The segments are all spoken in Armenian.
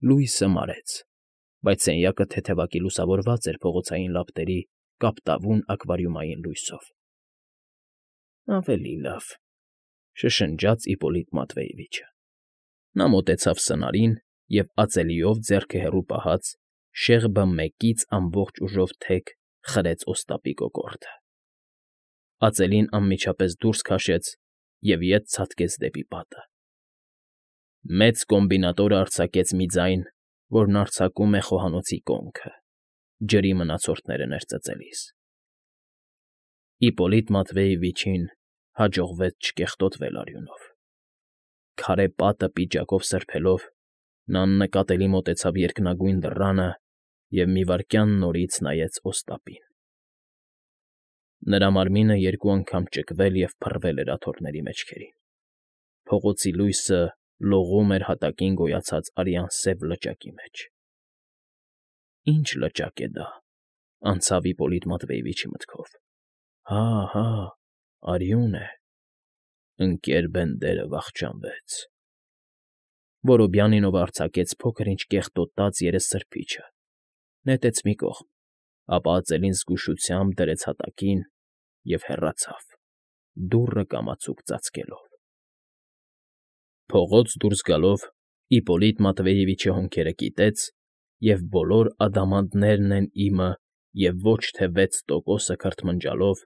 Լույսը մարեց, բայց սենյակը թեթևակի լուսավորված էր փողոցային լապտերի կապտավուն ակվարիումային լույսով։ «Ավելի լավ,֊ շշնջաց Իպոլիտ Մատվեևիչը։ Նա մոտեցավ սնարին և ածելիով ձեռքը հեռու պահած շեղբը մեկից ամբողջ ուժով թեք խրեց օստապի կոկորդը։ Ածելին անմիջապես դուրս քաշեց և ետ ցատկեց դեպի պատը։ Մեծ կոմբինատորը արձակեց մի ձայն, որն արձակում է խոհանոցի կոնքը, ջրի մնացորդները ներծծելիս։ Իպոլիտ Մատվեևիչին հաջողվեց չկեղտոտվել արյունով։ Քարե պատը պիճակով սրբելով՝ նա աննկատելի մոտեցավ երկնագույն դռանը և մի վայրկյան նորից նայեց օստապին։ Նրա մարմինը երկու անգամ ճկվել և փռվել էր աթոռների մեջքներին։ Փողոցի լույսը լողում էր հատակին գոյացած արյան սև լճակի մեջ։ «Ի՞նչ լճակ է դա,֊ անցավ Իպոլիտ Մատվեևիչի մտքով։ Հա, արյուն է… Ընկեր Բենդերը վախճանվեց»։ Որոբյանինովը արձակեց փոքր֊ինչ կեղտոտած երեսսրբիչը, նետեց մի կողմ, ապա ածելին զգուշությամբ դրեց հատակին և հեռացավ, դուռը կամացուկ ծածկելով։ Փողոց դուրս գալով՝ Իպոլիտ Մատվեևիչը հոնքերը կիտեց և բոլոր ադամանդներն են իմը և ոչ թե 6%-ը քրթմնջալով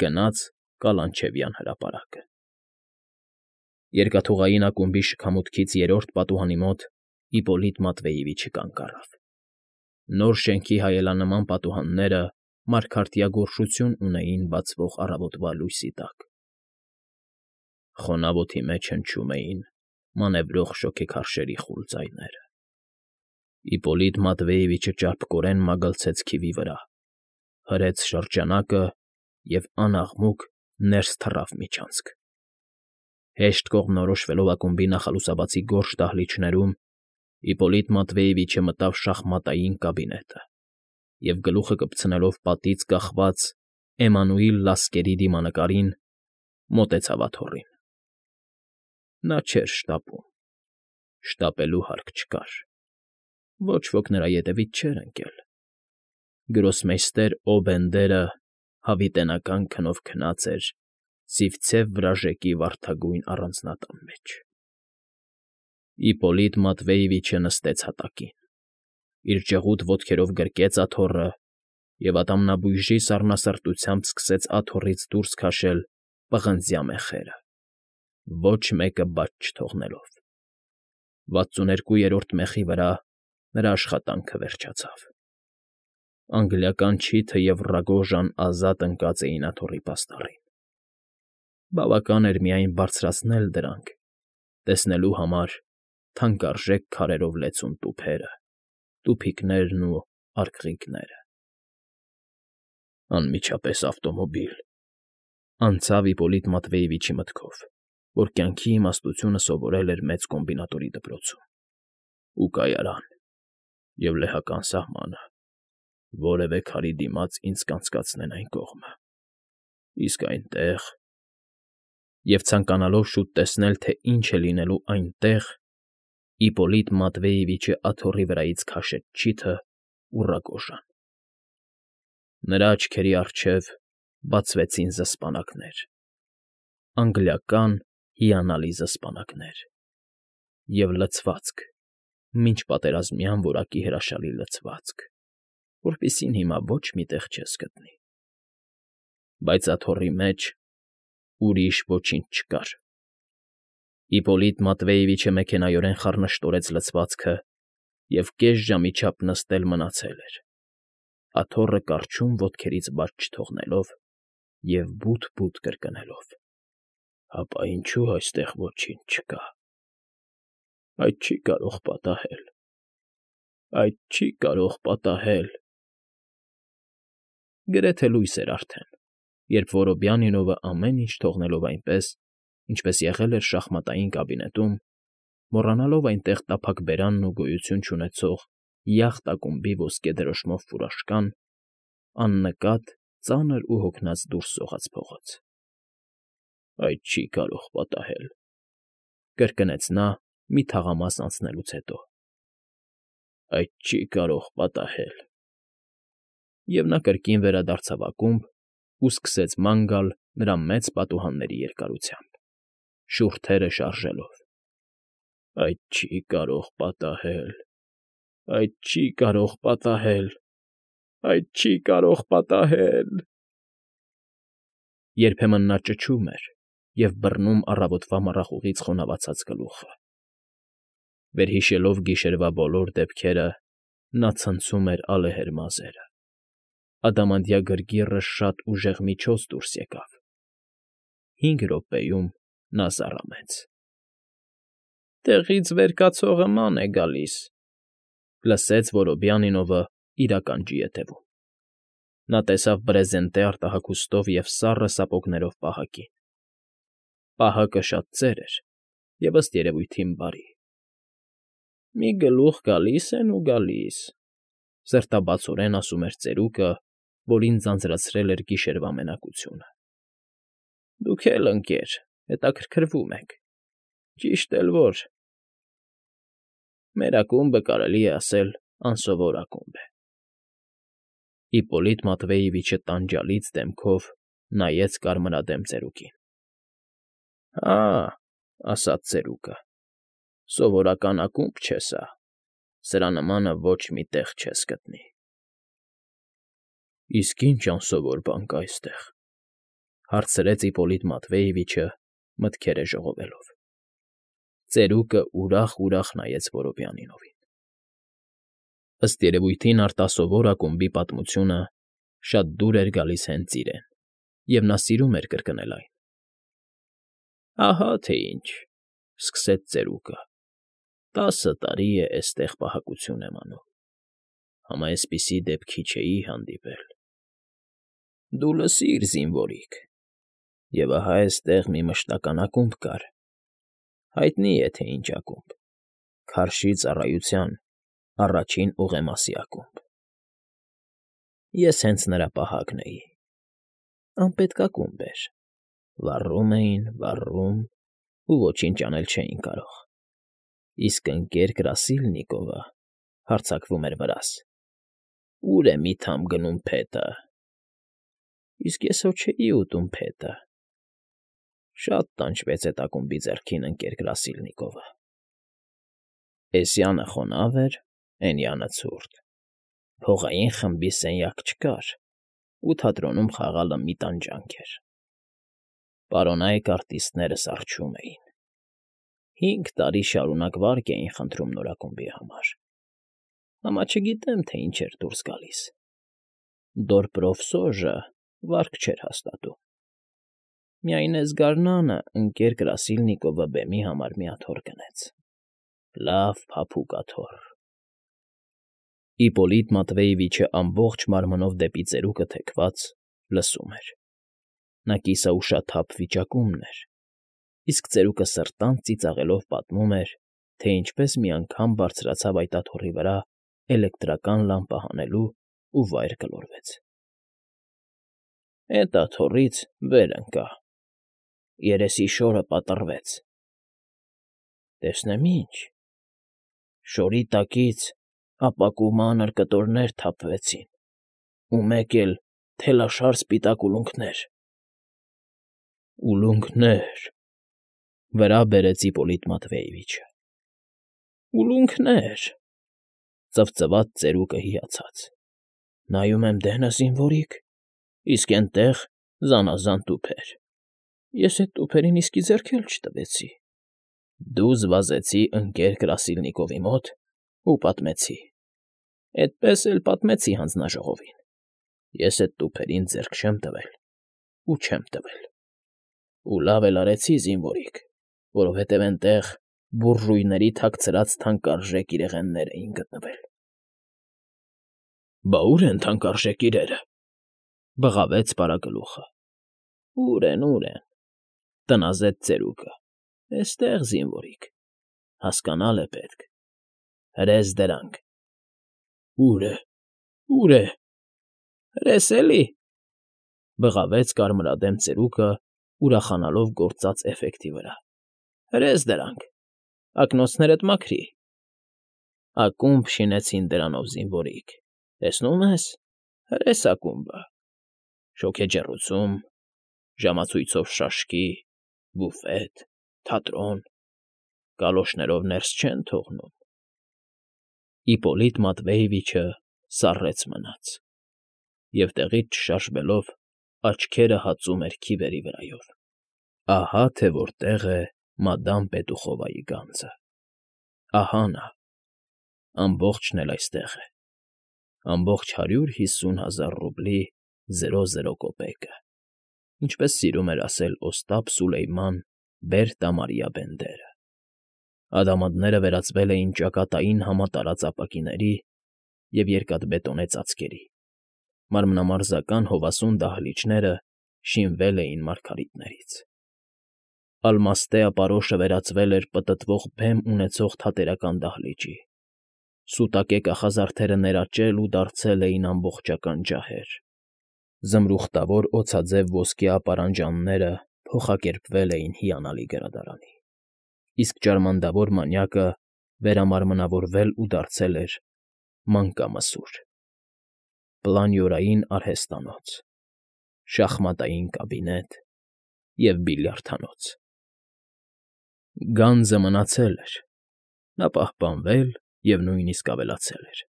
գնաց Կալանչևյան հրապարակը։ Երկաթուղային ակումբի շքամուտքից երրորդ պատուհանի մոտ Իպոլիտ Մատվեևիչը կանգ առավ։ Նոր շենքի հայելանման պատուհանները մարգարտյա գորշություն ունեին բացվող առավոտվա լույսի տակ։ Խոնավոթի մեջ հնչում էին մանևրող շոգեքարշերի խուլ ձայները։ Իպոլիտ Մատվեևիչը ճարպկորեն մագլցեց քիվի վրա, հրեց շրջանակը և անաղմուկ ներս թռավ միջանցք։ Հեշտ կողմնորոշվելով ակումբի նախալուսաբացի գորշ դահլիճներում՝ Իպոլիտ Մատվեևիչը մտավ շախմատային կաբինետը և, գլուխը կպցնելով պատից կախված Էմանուիլ Լասկերի դիմանկարին, մոտեցավ աթոռին։ Նա չէր շտապում, շտապելու հարկ չկար, ոչ ոք նրա ետևից չէր ընկել։ Գրոսմեյստեր Օբենդերը հավիտենական քնով քնած էր Սիվցև վրաժեկի վարդագույն առանձնատան մեջ։ Իպոլիտ Մատվեևիչը նստեց հատակին, իր ճղուտ ոտքերով գրկեց աթոռը և ատամնաբույժի սառնասրտությամբ սկսեց աթոռից դուրս քաշել պղնձյա մեխերը, ոչ մեկը բաց չթողնելով։ 62-րդ մեխի վրա նրա աշխատանքը վերջացավ։ Անգլիական չիթը և Ռագոժան ազատ ընկած էին աթոռի պաստառին։ Բավական էր միայն բարձրացնել դրանք՝ տեսնելու համար թանկարժեք քարերով լեցուն տուփերը, տուփիկներն ու արկղիկները։ Անմիջապես ավտոմոբիլ, անցավ Իպոլիտ Մատվեևիչի մտքով, որ կյանքի իմաստությունը սովորել էր մեծ կոմբինատորի դպրոցում, ու կայարան, և լեհական սահմանը, որևէ քարի դիմաց ինձ կանցկացնեն այն կողմը, իսկ այնտեղ… Եվ ցանկանալով շուտ տեսնել, թե ինչ է լինելու այնտեղ, Իպոլիտ Մատվեևիչը աթոռի վրայից քաշեց չիթն ու Ռագոժան։ Նրա աչքերի առջև բացվեցին զսպանակներ, անգլիական հիանալի զսպանակներ, և լցվածք, մինչ պատերազմյան որակի հրաշալի լցվածք, որպիսին հիմա ոչ մի տեղ չես գտնի։ Բայց աթոռի մեջ ուրիշ ոչինչ չկար։ Իպոլիտ Մատվեևիչը մեքենայորեն խառնշտորեց լցվածքը և կես ժամի չափ նստել մնացել էր, աթոռը կառչում ոտքերից բաց չթողնելով և բութ֊բութ կրկնելով. «Հապա ինչու այստեղ ոչինչ չկա… Այդ չի կարող պատահել… Այդ չի կարող պատահել…»։ Գրեթե լույս էր արդեն, երբ Որոբյանինովը ամեն ինչ թողնելով այնպես, ինչպես եղել էր շախմատային կաբինետում, մոռանալով այնտեղ տափակ բերանն ու գոյություն չունեցող յախտ ակումբի ոսկե դրոշմով ֆուրաշկան, աննկատ, ծանր ու հոգնած դուրս սողաց փողոց։ «Այդ չի կարող պատահել…», կրկնեց նա մի թաղամաս անցնելուց հետո։ Այդ չի կարող պատահել։ Եվ նա կրկին վերադարձավ ակումբ ու սկսեց ման գալ նրա մեծ պատուհանների երկարությամբ, շուրթերը շարժելով. Այդ չի կարող պատահել, այդ չի կարող պատահել, այդ չի կարող պատահել… Երբեմն նա ճչում էր և բռնում առավոտվա մառախուղից խոնավացած գլուխը։ Վերհիշելով գիշերվա բոլոր դեպքերը, նա ցնցում էր ալեհեր մազերը։ Ադամանդյա գրգիռը շատ ուժեղ միջոց դուրս եկավ։ 5 րոպեում նա զառամեց։ «Տեղից վեր կացողը ման է գալիս», լսեց Որոբյանինովը իր ականջի ետևում։ Նա տեսավ բրեզենտե արտահագուստով և սառը սապոգներով պահակին։ Պահակը շատ ծեր էր և, ըստ երևույթին, բարի։ «Մի գլուխ գալիս են ու գալիս», սրտաբացորեն ասում էր ծերուկը, որին ձանձրացրել էր գիշերվա մենակությունը։ «Դուք էլ, ընկեր, հետաքրքրվում եք, ճիշտ էլ որ… Մեր ակումբը, կարելի է ասել, անսովոր ակումբ է»։ Իպպոլիտ Մատվեևիչը տանջալից դեմքով նայեց կարմրադեմ ծերուկին։ «Հա՜, ֊ ասաց ծերուկը, ֊ սովորական ակումբ չէ սա, սրա նմանը ոչ մի տեղ չես գտնի»։ «Իսկ ի՞նչ անսովոր բան կա այստեղ, ֊ հարցրեց Իպպոլիտ Մատվեևիչը, մտքերը ժողովելով։ Ծերուկը ուրախ֊ուրախ նայեց Որոբյանինովին։ Ըստ երևույթին արտասովոր ակումբի պատմությունը շատ դուր էր գալիս հենց իրեն, և նա սիրում էր կրկնել այն։ «Ահա թե ինչ,֊ սկսեց ծերուկը,֊ 10 տարի է էստեղ պահակություն եմ անում, համա էսպիսի դեպքի չէի հանդիպել։ Դու լսիր, զինվորիկ, և ահա էստեղ մի մշտական ակումբ կար, հայտնի է, թե ինչ ակումբ, Քարշի ծառայության առաջին ուղեմասի ակումբ։ Ես հենց նրա պահակն էի։ Անպետք ակումբ էր, վառում էին, վառում ու ոչինչ անել չէին կարող։ Իսկ ընկեր Կրասիլնիկովը հարձակվում էր վրաս. «Ո՞ւր է մի թամ գնում փետը»։ Իսկ ես հո չէի ուտում փետը։ Շատ տանջվեց էդ ակումբի ձեռքին ընկեր Կրասիլնիկովը։ Էսյանը խոնավ էր, էնյանը ցուրտ, փողային խմբի սենյակ չկար, ու թատրոնում խաղալը մի տանջանք էր։ Պարոնայք արտիստները սառչում էին։ 5 տարի շարունակ վարկ էին խնդրում նոր ակումբի համար։ Համա չգիտեմ, թե ինչ էր դուրս գալիս։ Դորպրոֆսոժը վարկ չէր հաստատում։ Միայն էս գարնանը ընկեր Կրասիլնիկովը բեմի համար մի աթոռ գնեց։ Լավ փափուկ աթոռ։ Իպպոլիտ Մատվեևիչը ամբողջ մարմնով դեպի ծերուկը թեքված լսում էր։ Նա կիսաուշաթափ վիճակում էր, իսկ ծերուկը սրտանց ծիծաղելով պատմում էր, թե ինչպես մի անգամ բարձրացավ այդ աթոռի վրա էլեկտրական լամպը հանելու ու վայր գլորվեց։ Էդ աթոռից վեր ընկա, երեսի շորը պատռվեց։ Տեսնեմ ինչ… Շորի տակից ապակու մանր կտորներ թափվեցին ու մեկ էլ թելաշար սպիտակ ուլունքներ։ Ուլունքներ…֊ վրա բերեց Իպպոլիտ Մատվեևիչը։ Ուլունքներ…֊ ծվծվաց ծերուկը հիացած։ Նայում եմ դենը, զինվորիկ, իսկ էնտեղ զանազան տուփեր։ Ես էդ տուփերին իսկի ձեռք էլ չտվեցի։ Դու զվազեցի ընկեր Կրասիլնիկովի մոտ ու պատմեցի։ Էդպես էլ պատմեցի հանձնաժողովին։ Ես էդ տուփերին ձեռք չեմ տվել ու չեմ տվել։ Ու լավ էլ արեցի, զինվորիկ, որովհետև էնտեղ բուրժույների թաքցրած թանկարժեք իրեղեններ էին գտնվել։ Բա ո՞ւր են թանկարժեք իրերը,֊ բղավեց Պարագլուխը։ Ո՞ւր են, ո՞ւր են,֊ տնազեց ծերուկը։ Էստեղ, զինվորիկ, հասկանալ է պետք։ Հրես դրանք։ Ո՞ւր է, ո՞ւր է… Հրես էլի…֊ բղավեց կարմրադեմ ծերուկը, ուրախանալով գործած էֆեկտի վրա։ Հրես դրանք… Ակնոցներդ մաքրի։ Ակումբ շինեցին դրանով զինվորիկ, տեսնում ես, հրես ակումբը, շոգեջեռուցում, ժամացույցով շաշկի, բուֆետ, թատրոն, գալոշներով ներս չեն թողնում։ Իպոլիտ Մատվեևիչը սառեց մնաց և տեղից չշաշվելով աչքերը հածում էր քիվերի վրայով։ Ահա թե որտեղ է մադամ Պետուխովայի գանձը։ Ահա նա, ամբողջն էլ այստեղ է, ամբողջ 150,000 ռուբլի 00 կոպեկը, ինչպես սիրում էր ասել Օստապ Սուլեյման Բերտամարիա Բենդերը։ Ադամանդները վերածվել էին ճակատային համատարած ապակիների և երկաթբետոնե ծածկերի, մարմնամարզական հովասուն դահլիճները շինվել էին մարգարիտներից։ Ալմաստե ապարոշը վերածվել էր պտտվող բեմ ունեցող թատերական դահլիճի, սուտակե կախազարդերը ներաճել ու դարձել էին ամբողջական ջահեր, զմրուխտավոր օձաձև ոսկե ապարանջանները փոխակերպվել էին հիանալի գրադարանի, իսկ ջարմանդավոր մանյակը վերամարմնավորվել ու դարձել էր մանկամսուր, պլանյորային արհեստանոց, շախմատային կաբինետ և բիլիարդանոց։ Գանձը մնացել էր, նա պահպանվել և նույնիսկ ավելացել էր։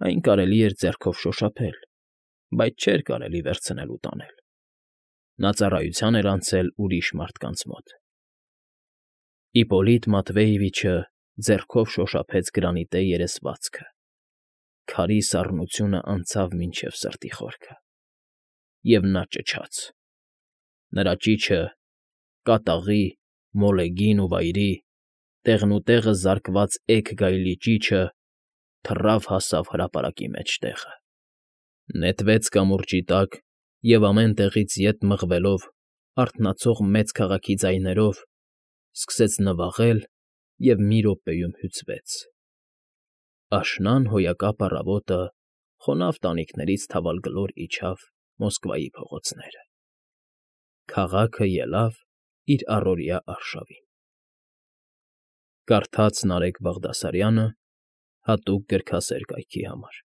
Այն կարելի էր ձեռքով շոշափել, բայց չէր կարելի վերցնել ու տանել։ Նա ծառայության էր անցել ուրիշ մարդկանց մոտ։ Իպոլիտ Մատվեևիչը ձեռքով շոշափեց գրանիտե երեսվածքը, քարի սառնությունը անցավ մինչև սրտի խորքը, և նա ճչաց։ Նրա ճիչը, կատաղի, մոլեգին ու վայրի, տեղնուտեղը զարկված էգ գայլի ճիչը թռավ հասավ հրապարակի մեջտեղը, նետվեց կամուրջի տակ և ամեն տեղից ետ մղվելով արթնացող մեծ քաղաքի ձայներով սկսեց նվաղել և մի րոպեում հյուծվեց։ Աշնան հոյակապ առավոտը խոնավ տանիքներից թավալգլոր իջավ Մոսկվայի փողոցները։ Քաղաքը ելավ իր առօրյա արշավին։ Կարդաց Նարեկ Բաղդասարյանը հատուկ գրքասեր կայքի համար։